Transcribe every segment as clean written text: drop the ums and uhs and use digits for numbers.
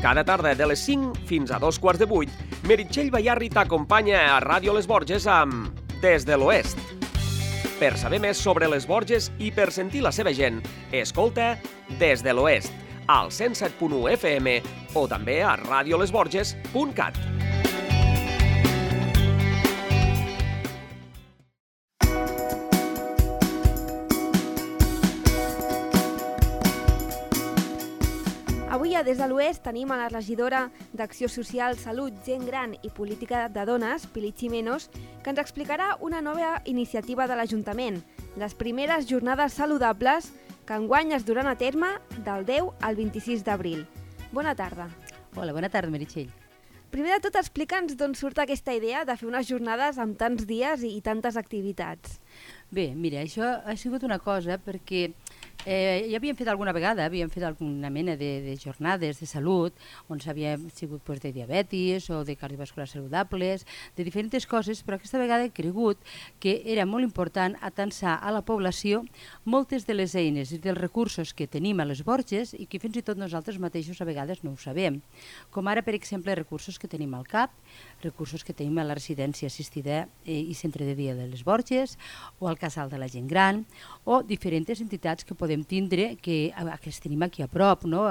Cada tarda de les 5 fins a 2:15, Meritxell Bayarri t'acompanya a Ràdio Les Borges amb Des de l'Oest. Per saber més sobre les Borges i per sentir la seva gent, escolta Des de l'Oest, al 107.1 FM o també a radiolesborges.cat. Avui a Des de l'Oest tenim a la regidora d'Acció Social, Salut, Gent Gran i Política de Dones, Pili Ximenos, que ens explicarà una nova iniciativa de l'Ajuntament, les primeres jornades saludables que enguany es duran a terme del 10 al 26 d'abril. Bona tarda. Hola, bona tarda, Meritxell. Primer de tot, explica'ns d'on surt aquesta idea de fer unes jornades amb tants dies i tantes activitats. Bé, mira, això ha sigut una cosa perquè ja havíem fet alguna vegada, havíem fet alguna mena de jornades de salut on s'havia sigut de diabetis o de cardiovasculars saludables, de diferents coses, però aquesta vegada he cregut que era molt important atansar a la població moltes de les eines i dels recursos que tenim a les Borges i que fins i tot nosaltres mateixos a vegades no ho sabem. Com ara, per exemple, recursos que tenim al CAP, recursos que tenim a la residència assistida i centre de dia de les Borges o al casal de la gent gran o diferents entitats que podem tindre que tenim aquí a prop, no?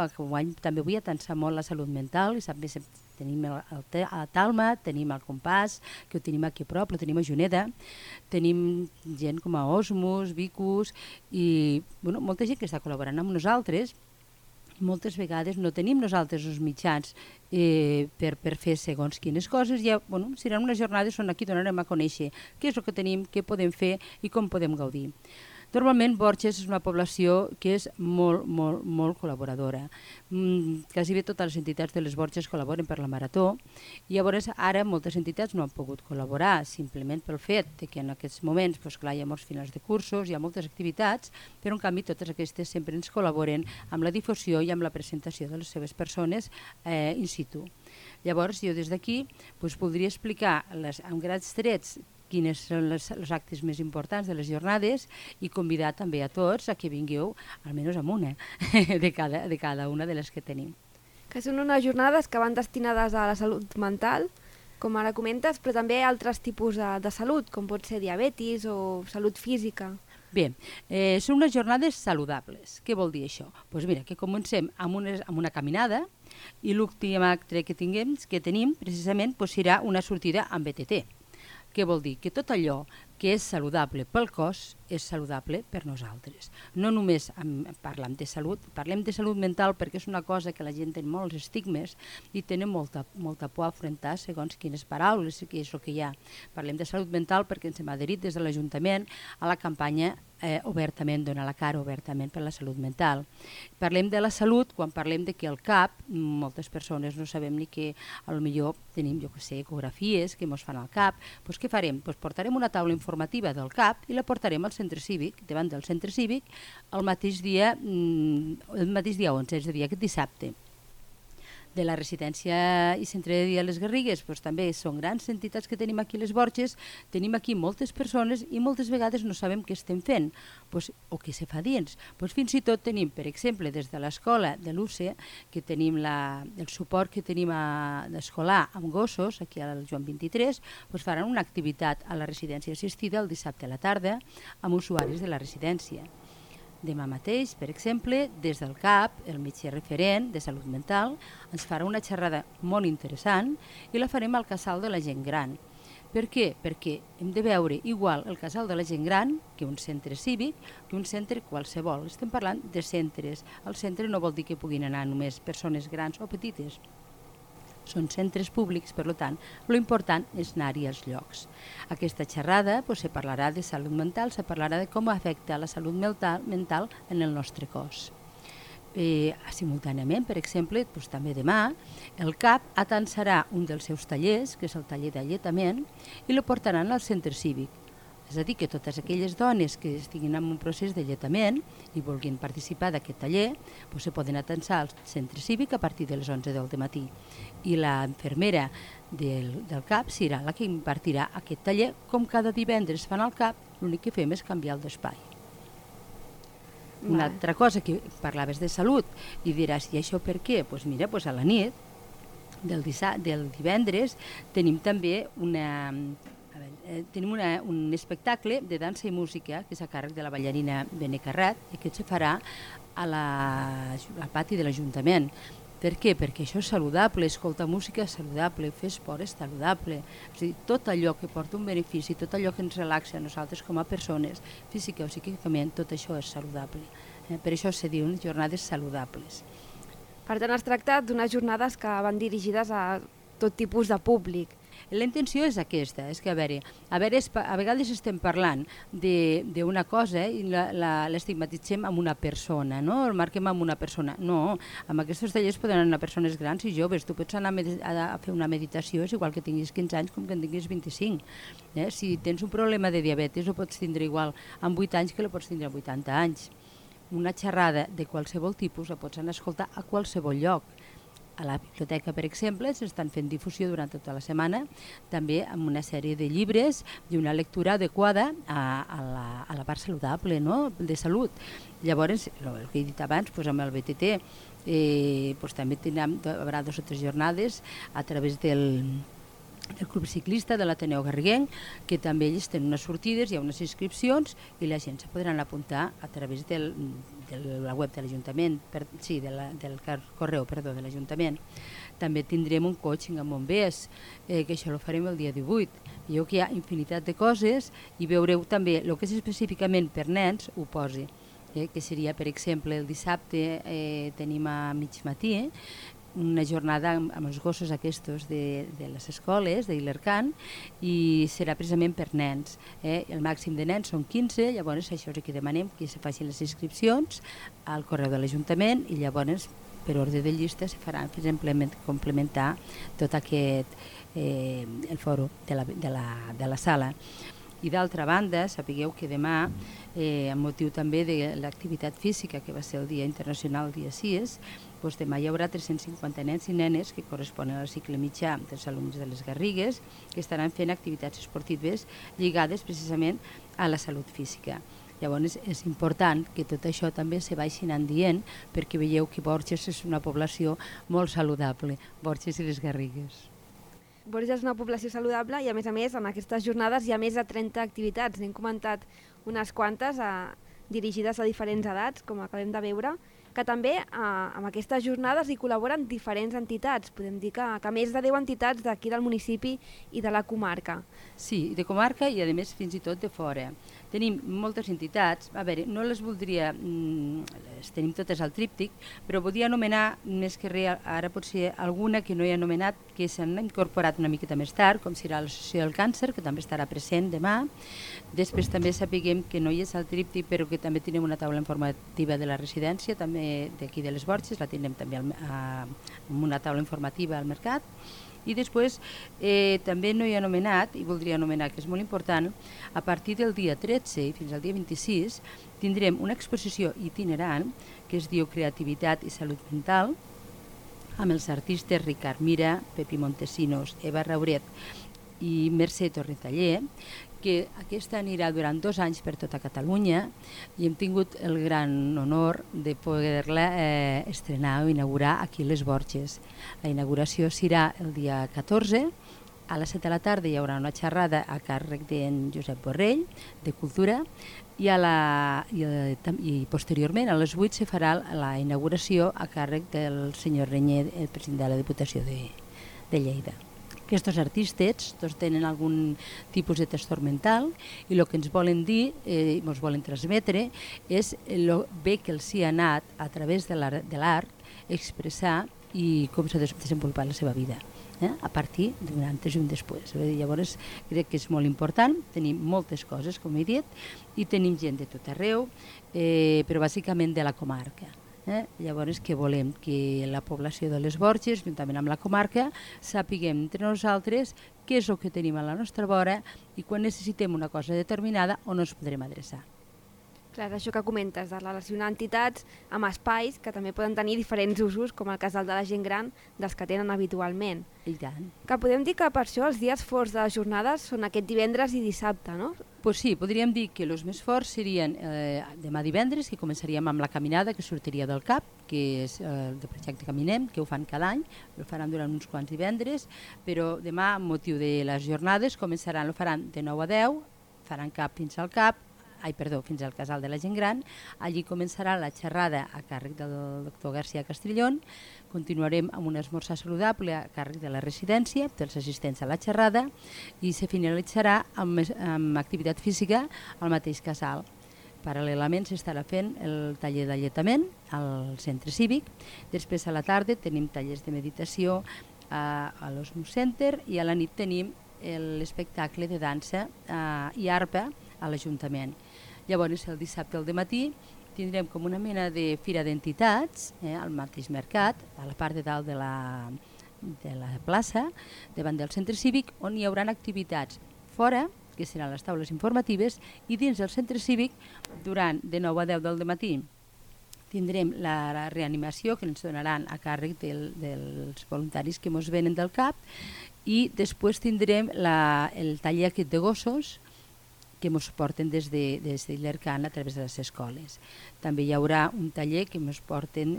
També vull atansar molt la salut mental i tenim a Talma, tenim el Compàs, que ho tenim aquí a prop, ho tenim a Juneda, tenim gent com a Osmos, Vicus i molta gent que està col·laborant amb nosaltres. Moltes vegades no tenim nosaltres els mitjans per fer segons quines coses. Seran unes jornades on aquí donarem a conèixer què és el que tenim, què podem fer i com podem gaudir. Normalment Borges és una població que és molt col·laboradora. Quasi bé totes les entitats de les Borges col·laboren per la Marató i llavors ara moltes entitats no han pogut col·laborar simplement pel fet que en aquests moments hi ha molts finals de cursos, hi ha moltes activitats, però en canvi totes aquestes sempre ens col·laboren amb la difusió i amb la presentació de les seves persones in situ. Llavors jo des d'aquí voldria explicar amb grans trets quins són els actes més importants de les jornades i convidar també a tots a que vingueu almenys amb una de cada una de les que tenim. Que són unes jornades que van destinades a la salut mental, com ara comentes, però també a altres tipus de salut, com pot ser diabetis o salut física. Bé, són unes jornades saludables. Què vol dir això? Doncs mira, que comencem amb una caminada i l'últim acte que tenim precisament serà una sortida amb BTT. Què vol dir? Que tot allò que és saludable pel cos és saludable per nosaltres. No només parlem de salut mental perquè és una cosa que la gent té molts estigmes i tenen molta por a afrontar segons quines paraules, que és el que hi ha. Parlem de salut mental perquè ens hem adherit des de l'Ajuntament a la campanya obertament, donar la cara obertament per la salut mental. Parlem de la salut quan parlem de que al CAP moltes persones no sabem ni que potser tenim, ecografies que ens fan al CAP. Doncs què farem? Portarem una taula informativa del CAP i la portarem al centre cívic, davant del centre cívic, el mateix dia 11, és a dir, aquest dissabte. De la residència i centre de dia a les Garrigues, també són grans entitats que tenim aquí a les Borges, tenim aquí moltes persones i moltes vegades no sabem què estem fent o què se fa dins. Fins i tot tenim, per exemple, des de l'escola de l'UCE, que tenim el suport que tenim d'escolar amb gossos, aquí al Joan 23, faran una activitat a la residència assistida el dissabte a la tarda amb usuaris de la residència. Demà mateix, per exemple, des del CAP, el metge referent de salut mental, ens farà una xerrada molt interessant i la farem al casal de la gent gran. Per què? Perquè hem de veure igual el casal de la gent gran que un centre cívic, que un centre qualsevol. Estem parlant de centres. El centre no vol dir que puguin anar només persones grans o petites. Són centres públics, per tant, l'important és anar-hi als llocs. Aquesta xerrada se parlarà de salut mental, se parlarà de com afecta la salut mental en el nostre cos. Simultàniament, per exemple, també demà, el CAP atansarà un dels seus tallers, que és el taller d'alletament, i el portaran al centre cívic. És a dir, que totes aquelles dones que estiguin en un procés d'alletament i vulguin participar d'aquest taller se poden atansar al centre cívic a partir de les 11 del matí. I la infermera del CAP serà la que impartirà aquest taller. Com cada divendres fan al CAP, l'únic que fem és canviar el d'espai. Una altra cosa, que parlaves de salut i diràs, i això per què? Doncs mira, a la nit del divendres tenim també un espectacle de dansa i música que és a càrrec de la ballarina Bene Carrat i que se farà al pati de l'Ajuntament. Per què? Perquè això és saludable, escoltar música és saludable, fer esport és saludable. És a dir, tot allò que porta un benefici, tot allò que ens relaxa a nosaltres com a persones, física o psíquicament, tot això és saludable. Per això se diuen jornades saludables. Per tant, es tracta d'unes jornades que van dirigides a tot tipus de públic. La intenció és aquesta, és que a vegades estem parlant d'una cosa i l'estigmatitzem amb una persona, no? El marquem amb una persona. No, amb aquests tallers poden anar persones grans i joves. Tu pots anar a fer una meditació, és igual que tinguis 15 anys com que en tinguis 25. Si tens un problema de diabetis ho pots tindre igual amb 8 anys que la pots tindre amb 80 anys. Una xerrada de qualsevol tipus la pots anar a escoltar a qualsevol lloc. A la biblioteca, per exemple, s'estan fent difusió durant tota la setmana, també amb una sèrie de llibres i una lectura adequada a la part saludable, no? De salut. Llavors, el que he dit abans, amb el BTT, també haurà 2 o 3 jornades a través del Club Ciclista de l'Ateneu Garriguenc, que també ells tenen unes sortides, hi ha unes inscripcions i la gent se podran apuntar a través de la web de l'Ajuntament, del correu de l'Ajuntament. També tindrem un coaching amb bombers, que això ho farem el dia 18. Veieu que hi ha infinitat de coses i veureu també el que és específicament per nens, ho posi, que seria, per exemple, el dissabte tenim a mig matí, una jornada amb els gossos aquests de les escoles, d'Ilercan, i serà precisament per nens. El màxim de nens són 15, llavors això és el que demanem, que se facin les inscripcions al correu de l'Ajuntament i llavors per ordre de llista se farà complementar tot aquest el fòrum de la sala. I d'altra banda, sapigueu que demà, amb motiu també de l'activitat física, que va ser el Dia Internacional, el dia 6, demà hi haurà 350 nens i nenes que corresponen al cicle mitjà dels alumnes de les Garrigues, que estaran fent activitats esportives lligades precisament a la salut física. Llavors és important que tot això també se vagi anant dient, perquè veieu que Borges és una població molt saludable, Borges i les Garrigues. Borges és una població saludable i a més en aquestes jornades hi ha més de 30 activitats. N'hem comentat unes quantes dirigides a diferents edats, com acabem de veure, que també amb aquestes jornades hi col·laboren diferents entitats. Podem dir que més de 10 entitats d'aquí del municipi i de la comarca. Sí, de comarca i a més fins i tot de fora. Tenim moltes entitats, no les voldria, les tenim totes al tríptic, però voldria anomenar més que res, ara potser alguna que no he anomenat, que s'han incorporat una miqueta més tard, com serà l'Associació del Càncer, que també estarà present demà. Després també sapiguem que no hi és al tríptic, però que també tenim una taula informativa de la residència, també d'aquí de les Borges, la tindrem també amb una taula informativa al mercat. I després també no he anomenat, i voldria anomenar que és molt important, a partir del dia 13 fins al dia 26 tindrem una exposició itinerant que es diu Creativitat i Salut Mental, amb els artistes Ricard Mira, Pepi Montesinos, Eva Rauret i Mercè Torretaller, que aquesta anirà durant 2 anys per tota Catalunya i hem tingut el gran honor de poder-la estrenar o inaugurar aquí a les Borges. La inauguració serà el dia 14, a les 7 de la tarda hi haurà una xerrada a càrrec d'en Josep Borrell, de Cultura, i posteriorment a les 8 se farà la inauguració a càrrec del senyor Renyer, el president de la Diputació de Lleida. Aquests artistes tots tenen algun tipus de trastorn mental i el que ens volen dir i ens volen transmetre és el bé que els hi ha anat a través de l'art expressar i com s'ha desenvolupat la seva vida, a partir d'un antes i un després. Llavors crec que és molt important, tenim moltes coses, com he dit, i tenim gent de tot arreu, però bàsicament de la comarca. Llavors que volem que la població de les Borges, juntament amb la comarca, sapiguem entre nosaltres què és el que tenim a la nostra vora i quan necessitem una cosa determinada on ens podrem adreçar. Clar, això que comentes, de relacionar entitats amb espais que també poden tenir diferents usos, com el cas del de la gent gran, dels que tenen habitualment. I tant. Que podem dir que per això els dies forts de les jornades són aquest divendres i dissabte, no? Pues sí, podríem dir que els més forts serien demà divendres, que començaríem amb la caminada que sortiria del CAP, que és el de projecte Caminem, que ho fan cada any, ho faran durant uns quants divendres, però demà, amb motiu de les jornades, ho faran de 9 a 10, faran CAP fins al CAP, fins al Casal de la Gent Gran. Allí començarà la xerrada a càrrec del doctor García Castrillón. Continuarem amb un esmorzar saludable a càrrec de la residència, dels assistents a la xerrada, i se finalitzarà amb activitat física al mateix casal. Paral·lelament s'estarà fent el taller d'alletament al centre cívic. Després a la tarda tenim tallers de meditació a l'Osmos Center i a la nit tenim l'espectacle de dansa i arpa a l'Ajuntament. Llavors, el dissabte al dematí tindrem com una mena de fira d'entitats al mateix mercat, a la part de dalt de la plaça, davant del centre cívic, on hi haurà activitats fora, que seran les taules informatives, i dins del centre cívic, durant de 9 a 10 del dematí, tindrem la reanimació que ens donaran a càrrec dels voluntaris que ens venen del CAP, i després tindrem el taller aquest de gossos, que ens porten des d'Illercan a través de les escoles. També hi haurà un taller que ens porten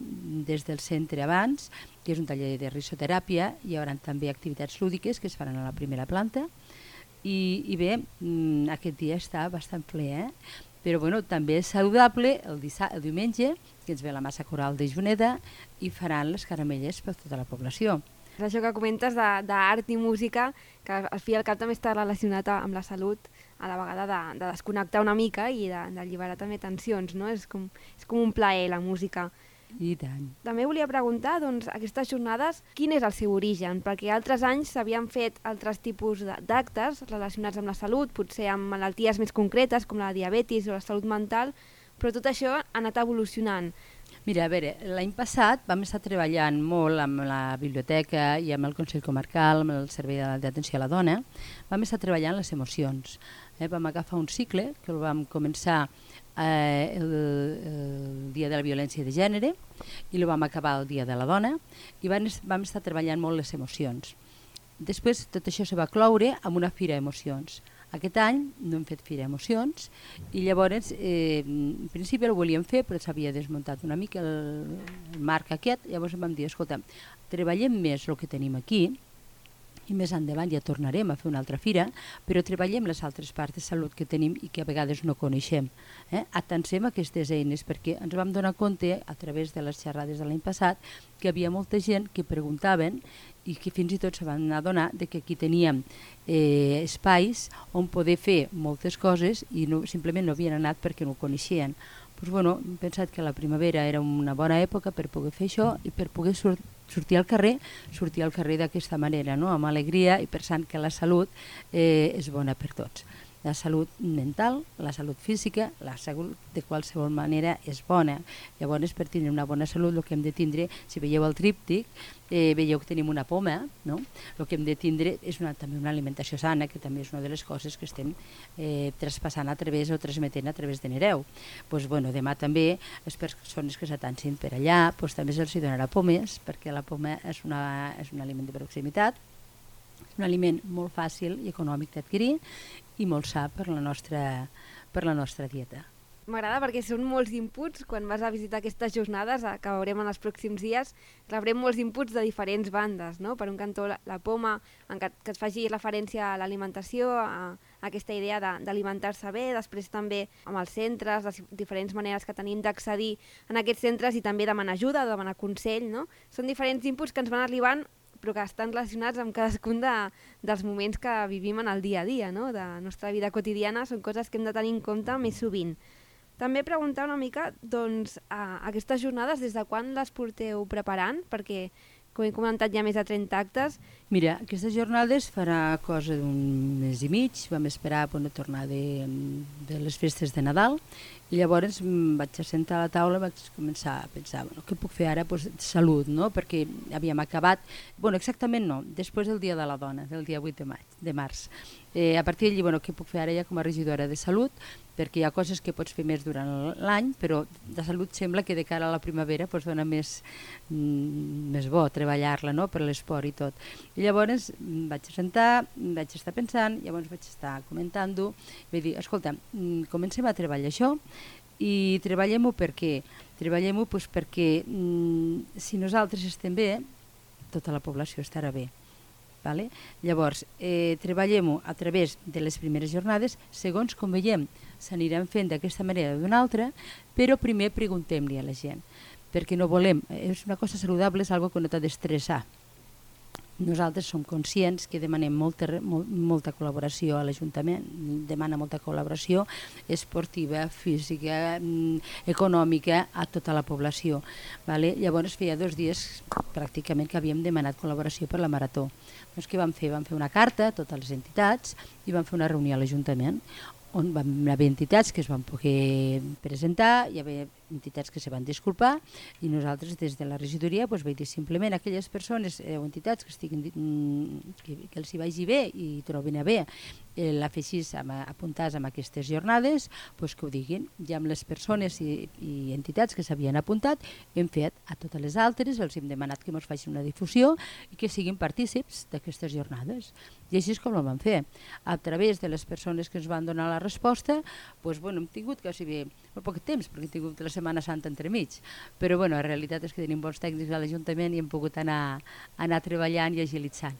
des del centre abans, que és un taller de risoteràpia. Hi haurà també activitats lúdiques que es faran a la primera planta. I bé, aquest dia està bastant ple, però bueno, també és saludable el diumenge, que ens ve la massa coral de Juneda i faran les caramelles per tota la població. Això que comentes d'art i música, que al fi i al cap també està relacionat amb la salut, a la vegada de desconnectar una mica i d'alliberar també tensions, no? És com un plaer, la música. I tant. També volia preguntar, doncs, aquestes jornades, quin és el seu origen? Perquè altres anys s'havien fet altres tipus d'actes relacionats amb la salut, potser amb malalties més concretes, com la diabetis o la salut mental, però tot això ha anat evolucionant. Mira, a veure, l'any passat vam estar treballant molt amb la biblioteca i amb el Consell Comarcal, amb el Servei d'Atenció a la Dona. Vam estar treballant les emocions. Vam agafar un cicle que el vam començar el dia de la violència de gènere i el vam acabar el dia de la dona i vam estar treballant molt les emocions. Després tot això se va cloure amb una fira d'emocions. Aquest any no hem fet fira d'emocions i llavors en principi el volíem fer però s'havia desmuntat una mica el marc aquest, llavors vam dir, escolta, treballem més el que tenim aquí i més endavant ja tornarem a fer una altra fira, però treballem les altres parts de salut que tenim i que a vegades no coneixem. Atansem aquestes eines perquè ens vam donar compte a través de les xerrades de l'any passat que hi havia molta gent que preguntaven i que fins i tot se van adonar que aquí teníem espais on poder fer moltes coses i simplement no havien anat perquè no ho coneixien. Doncs, bueno, hem pensat que la primavera era una bona època per poder fer això i per poder sortir al carrer d'aquesta manera, no? Amb alegria i pensant que la salut és bona per tots. La salut mental, la salut física, la salut de qualsevol manera és bona. Llavors, per tenir una bona salut, el que hem de tindre, si veieu el tríptic, veieu que tenim una poma, no? El que hem de tindre és també una alimentació sana, que també és una de les coses que estem traspassant transmetent a través de Nereu. Pues, bueno, demà també les persones que s'atansin per allà també se'ls donarà pomes, perquè la poma és un aliment de proximitat, és un aliment molt fàcil i econòmic d'adquirir i molt sa per la nostra dieta. M'agrada perquè són molts inputs. Quan vas a visitar aquestes jornades, que veurem en els pròxims dies, rebrem molts inputs de diferents bandes, no? Per un cantó, la poma, que et faci referència a l'alimentació, a aquesta idea d'alimentar-se bé, després també amb els centres, les diferents maneres que tenim d'accedir en aquests centres i també demanar ajuda, demanar consell, no? Són diferents inputs que ens van arribant però que estan relacionats amb cadascun dels moments que vivim en el dia a dia, no? De la nostra vida quotidiana, són coses que hem de tenir en compte més sovint. També preguntar una mica, doncs, aquestes jornades, des de quan les porteu preparant? Perquè, com he comentat, hi ha més de 30 actes. Mira, aquestes jornades farà cosa d'un mes i mig, vam esperar a tornar de les festes de Nadal, i llavors vaig assentar a la taula i vaig començar a pensar, què puc fer ara? Salut, no? Perquè havíem acabat, exactament no, després del Dia de la Dona, del dia 8 de març. A partir d'allí, què puc fer ara ja com a regidora de Salut? Perquè hi ha coses que pots fer més durant l'any, però de salut sembla que de cara a la primavera dona més bo treballar-la, no? Per l'esport i tot. I llavors vaig sentar, vaig estar pensant, llavors vaig estar comentant-ho, vaig dir, escolta, comencem a treballar això i treballem-ho per què? Treballem-ho perquè si nosaltres estem bé, tota la població estarà bé. Vale? Llavors, treballem-ho a través de les primeres jornades, segons com veiem, s'aniran fent d'aquesta manera o d'una altra, però primer preguntem-li a la gent, perquè no volem, és una cosa saludable, és una que no t'ha d'estressar. Nosaltres som conscients que demanem molta col·laboració a l'Ajuntament, demana molta col·laboració esportiva, física, econòmica a tota la població. Vale? Llavors feia 2 dies pràcticament que havíem demanat col·laboració per la Marató. Doncs què vam fer? Vam fer una carta a totes les entitats i vam fer una reunió a l'Ajuntament on van haver entitats que es van poder presentar, hi havia entitats que se van disculpar i nosaltres des de la regidoria vaig dir simplement a aquelles persones o entitats que els hi vagi bé i trobin a bé l'afegís apuntats en aquestes jornades, que ho diguin. I amb les persones i entitats que s'havien apuntat hem fet a totes les altres, els hem demanat que ens facin una difusió i que siguin partícips d'aquestes jornades. I així és com ho vam fer. A través de les persones que ens van donar la resposta, hem tingut quasi bé molt poc temps, perquè hem tingut la Setmana Santa entremig, però la realitat és que tenim bons tècnics a l'Ajuntament i hem pogut anar treballant i agilitzant.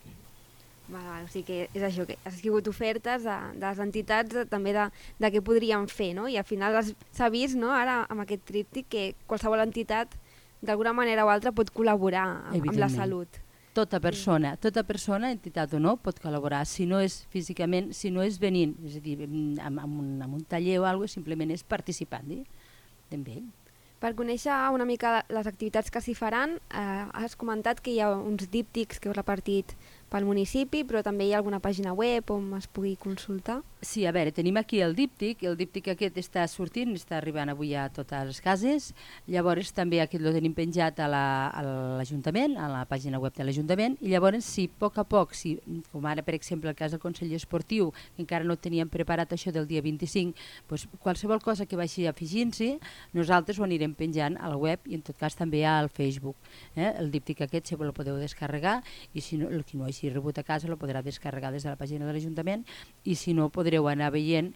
O sigui que és això, que ha sigut ofertes de les entitats també de què podríem fer, no? I al final s'ha vist, no, ara amb aquest tríptic que qualsevol entitat d'alguna manera o altra pot col·laborar amb la salut. Tota persona, entitat o no, pot col·laborar, si no és físicament, si no és venint, és a dir, amb un taller o alguna cosa, simplement és participant d'ell. Per conèixer una mica les activitats que s'hi faran, has comentat que hi ha uns díptics que heu repartit pel municipi, però també hi ha alguna pàgina web on es pugui consultar? Sí, a veure, tenim aquí el díptic aquest està sortint, està arribant avui a totes les cases, llavors també aquest el tenim penjat a l'Ajuntament, a la pàgina web de l'Ajuntament, i llavors si a poc a poc, com ara per exemple el cas del Consell Esportiu, que encara no teníem preparat això del dia 25, qualsevol cosa que vagi afegint-s'hi, nosaltres ho anirem penjant a la web i en tot cas també al Facebook. El díptic aquest si el podeu descarregar i si no, el que no hagi rebut a casa el podrà descarregar des de la pàgina de l'Ajuntament i si no podreu anar veient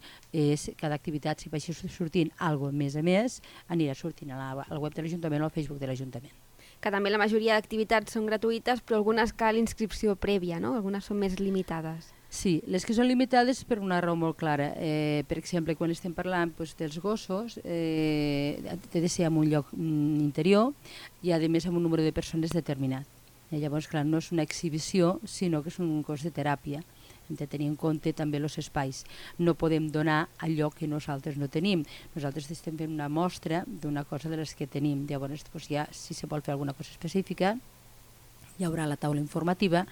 cada activitat, si vagi sortint alguna cosa més a més, anirà sortint a la web de l'Ajuntament o al Facebook de l'Ajuntament. Que també la majoria d'activitats són gratuïtes, però algunes cal inscripció prèvia, no? Algunes són més limitades. Sí, les que són limitades per una raó molt clara. Per exemple, quan estem parlant dels gossos, té de ser en un lloc interior i a més amb un número de persones determinat. Llavors, clar, no és una exhibició, sinó que és un cos de teràpia. Hem de tenir en compte també els espais. No podem donar allò que nosaltres no tenim. Nosaltres estem fent una mostra d'una cosa de les que tenim. Llavors, ja, si se vol fer alguna cosa específica, hi haurà la taula informativa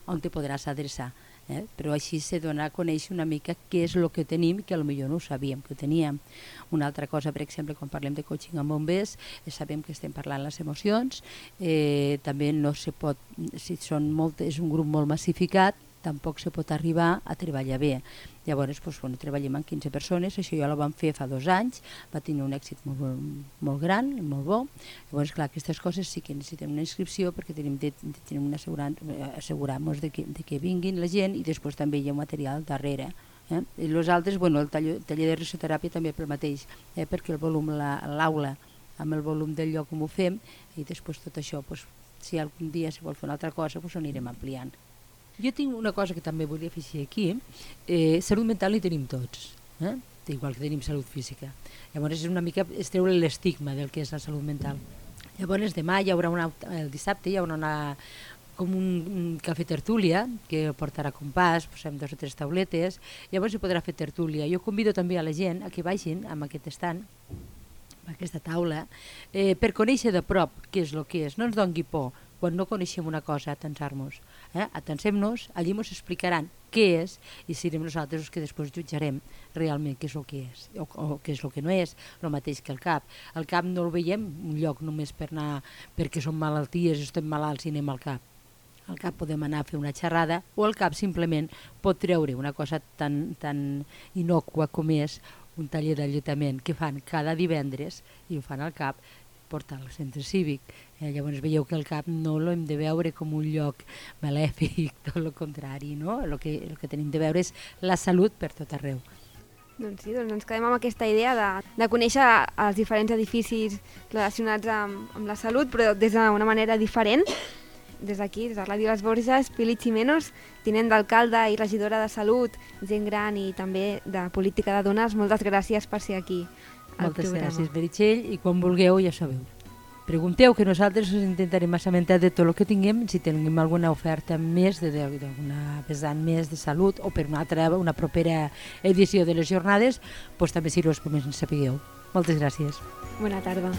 on te podràs adreçar. Però així se dona a conèixer una mica què és el que tenim, que potser no ho sabíem que ho teníem. Una altra cosa, per exemple, quan parlem de coaching amb bombers, sabem que estem parlant les emocions, també no se pot, si és un grup molt massificat, tampoc se pot arribar a treballar bé. Llavors, treballem amb 15 persones, això ja ho vam fer fa 2 anys, va tenir un èxit molt gran, molt bo. Llavors, clar, aquestes coses sí que necessitem una inscripció perquè tenim assegurar-nos de que vinguin la gent i després també hi ha material darrere. I els altres, el taller de risoteràpia també pel mateix, perquè el volum, l'aula, amb el volum del lloc on ho fem, i després tot això, si algun dia se vol fer una altra cosa, ho anirem ampliant. Jo tinc una cosa que també volia afegir aquí. Salut mental hi tenim tots, igual que tenim salut física. Llavors és una mica treure l'estigma del que és la salut mental. Llavors demà el dissabte hi haurà com un cafè tertúlia que portarà compàs, posem 2 o 3 tauletes, llavors hi podrà fer tertúlia. Jo convido també a la gent a que vagin amb aquest estand, amb aquesta taula, per conèixer de prop què és el que és. No ens doni por quan no coneixem una cosa, atensar-nos. Atensem-nos, allí ens explicaran què és i serem nosaltres els que després jutjarem realment què és el que és o què és el que no és, el mateix que el CAP. El CAP no el veiem un lloc només per anar perquè som malalties, estem malalts i anem al CAP. Al CAP podem anar a fer una xerrada o el CAP simplement pot treure una cosa tan innòcua com és un taller d'alletament que fan cada divendres i ho fan al CAP portar al centre cívic. Llavors veieu que el CAP no l'hem de veure com un lloc malèfic, tot el contrari, no? El que tenim de veure és la salut per tot arreu. Doncs sí, ens quedem amb aquesta idea de conèixer els diferents edificis relacionats amb la salut, però des d'una manera diferent. Des d'aquí, des de Ràdio Les Borges, Pili Ximenos, tinent d'alcalde i regidora de Salut, gent gran i també de política de dones, moltes gràcies per ser aquí al Moltes programa. gràcies, Meritxell, i quan vulgueu ja sabeu. Pregunteu, que nosaltres us intentarem assabentar de tot el que tinguem, si tenim alguna oferta més, d'alguna vessant més de salut, o per una propera edició de les jornades, doncs també si us primers en sapigueu. Moltes gràcies. Bona tarda.